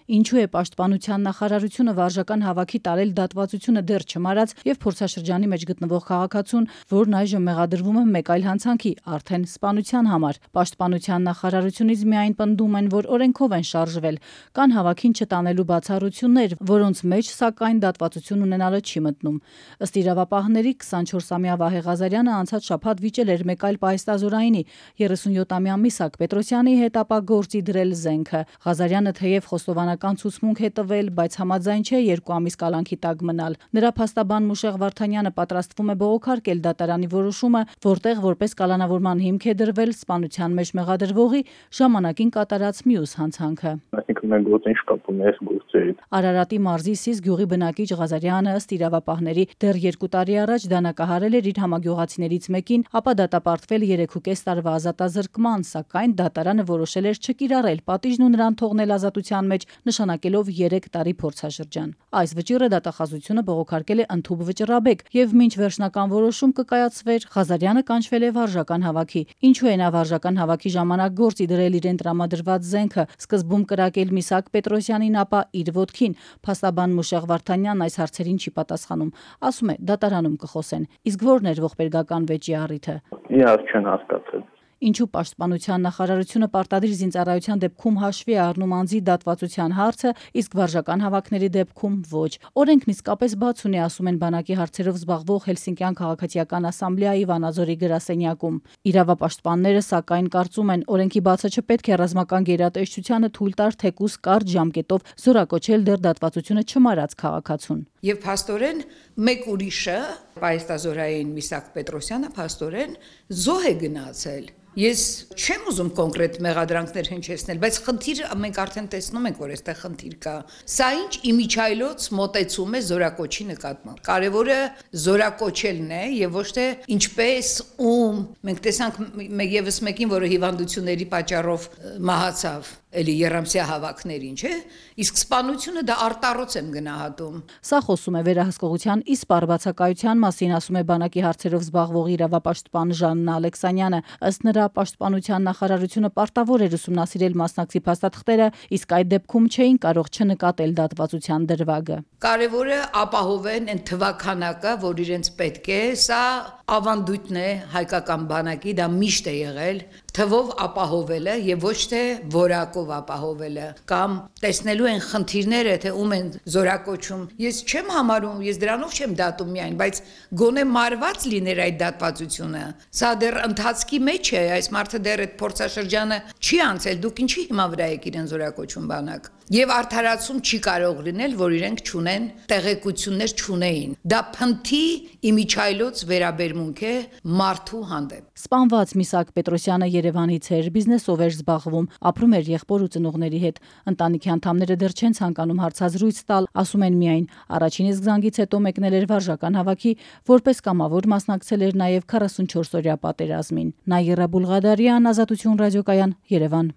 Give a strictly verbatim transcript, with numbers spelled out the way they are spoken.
Ինչու է Պաշտպանության նախարարությունը վարժական հավաքի տարել դատվածությունը դեռ չմարած եւ փորձաշրջանի մեջ գտնվող քաղաքացուն, որն այժմ մեղադրվում է մեկ այլ հանցանքի, արդեն սպանության համար։ Պաշտպանության նախարարությունից միայն պնդում են, որ օրենքով են շարժվել, կան հավաքին չտանելու բացառություններ, որոնց մեջ սակայն դատվածություն ունենալը չի մտնում։ Ըստ իրավապահների քսանչորսամյա Վահե Ղազարյանը անցած շաբաթ վիճել էր մեկ այլ պահեստազորայինի երեսունյոթամյա Միսակ Պետրոսյանի հետ ապա գործի դրել զենքը։ Ղազարյանը թեև խոստովանական ցուցմունք է տվել, բայց համաձայն չէ երկու ամիս կալանքի տակ մնալ։ Նրա փաստաբան Մուշեղ Վարդանյանը պատրաստվում է բողոքարկել դատարանի որոշումը, որտեղ որպես կալանավորման հիմք է դրվել սպանության մեջ մեղադրվողի ժամանակին կատարած մյուս հանցանքը։ Այսինքն մենք գործին շկապում ենք գործերից։ Արարատի մարզի Սիս գյուղի բնակիչ Ղազարյանը ըստ իրավապահների դեռ երկու տարի առաջ դանակահարել էր իր համագյուղացիներից մեկին, ապա դատապարտվել երեքուկես տարվա ազատազրկման, սակայն դատարանը որոշել էր չկիրառել պատիժն ու նրան թողնել ազատության մեջ, նշանակելով երեք տարի փորձաշրջան։ Այս վճիռը դատախազությունը բողոքարկել է ընդհուպ վճռաբեկ եւ մինչ վերջնական որոշում կկայացվեր, Ղազարյանը կանչվել է վարժական հավաքի։ Ինչու է նա վարժական հավաքի ժամանակ գործի դրել իրեն տրամադրված զենքը, սկզբում կրակել Միսակ Պետրոսյանին, ապա իր ոտքին։ Փաստաբան Մուշեղ Վարդանյանն այս հարցերին չի պատասխանում, ասում է դատարանում կխոսեն։ Իսկ ո՞րն էր ողբերգական վեճի առիթը։ Իհարկե չեն հասկացել։ Ինչու Պաշտպանության նախարարությունը պարտադիր զինծառայության դեպքում հաշվի է առնում անձի դատվածության հարցը, իսկ վարժական հավաքների դեպքում ոչ։ Օրենքն իսկապես բաց ունի, ասում են բանակի հարցերով զբաղվող Հելսինկյան քաղաքացիական ասամբլեայի Վանաձորի գրասենյակում։ Իրավապաշտպանները սակայն կարծում են, օրենքի բացը չպետք է ռազմական գերատեսչությանը թույլ տար թեկուզ կարճ ժամկետով զորակոչել դեռ դատվածությունը չմարած քաղաքացուն։ Եվ փաստորեն մեկ ուրիշը, պահեստազորային Միսակ Պետրոսյանը փաստորեն զոհ է գնացել։ Ես չեմ ուզում կոնկրետ մեղադրանքներ հնչեցնել, բայց խնդիրը մենք արդեն տեսնում ենք, որ այստեղ խնդիր կա։ Սա ինչ իմիջայլոց մոտեցում է զորակոչի նկատմամբ։ Կարևորը զորակոչելն է եւ ոչ թե ինչպես ում։ Մենք տեսանք եւս մեկին, որը հիվանդությունների պատճառով մահացավ, էլի երամսյա հավաքներին, չէ՞։ Իսկ սպանությունը դա արտառոց եմ գնահատում։ Սա խոսում է վերահսկողության իսպառ բացակայության մասին, ասում է բանակի հարցերով զբաղվող իրավապաշտպան Ժաննա Ալեքսանյանը։ Ըստ նրա, Պաշտպանության նախարարությունը պարտավոր էր ուսումնասիրել մասնակցի փաստաթղթերը, իսկ այդ դեպքում չէին կարող չնկատել դատվածության դրվագը։ Կարևորը ապահովեն այն թվականակը, որ իրենց պետք է, սա ավանդույթն է հայկական բանակի, դա միշտ է եղել, թվով ապահովելը եւ ոչ թե որակով ապահովելը կամ տեսնելու են խնդիրները, թե ում են զորակոչում։ Ես չեմ համարում, ես դրանով չեմ դատում միայն, բայց գոնե մարված լիներ այդ դատվածությունը։ Սա դեռ ընթացքի մեջ է, այս մարդը դեռ այդ փորձաշրջանը չի անցել, դուք ինչի հիմա վրա եք իրեն զորակոչում բանակ։ Եվ արդարացում չի կարող լինել, որ իրենք չունեն տեղեկություններ չունեին։ Դա փնթի իմիջայլոց վերաբերմունք է մարդու հանդեպ։ Սպանված Միսակ Պետրոսյանը Երևանից էր, բիզնեսով էր զբաղվում, ապրում էր եղբոր ու ծնողների հետ։ Ընտանիքի անդամները դեռ չեն ցանկանում հարցազրույց տալ, ասում են միայն, առաջին իսկ զանգից հետո մեկնել էր վարժական հավաքի, որպես կամավոր մասնակցել էր նաև քառասունչորս օրյա պատերազմին։ Նաիրա Բուլղադարյան, Ազատություն ռադիոկայան, Երևան։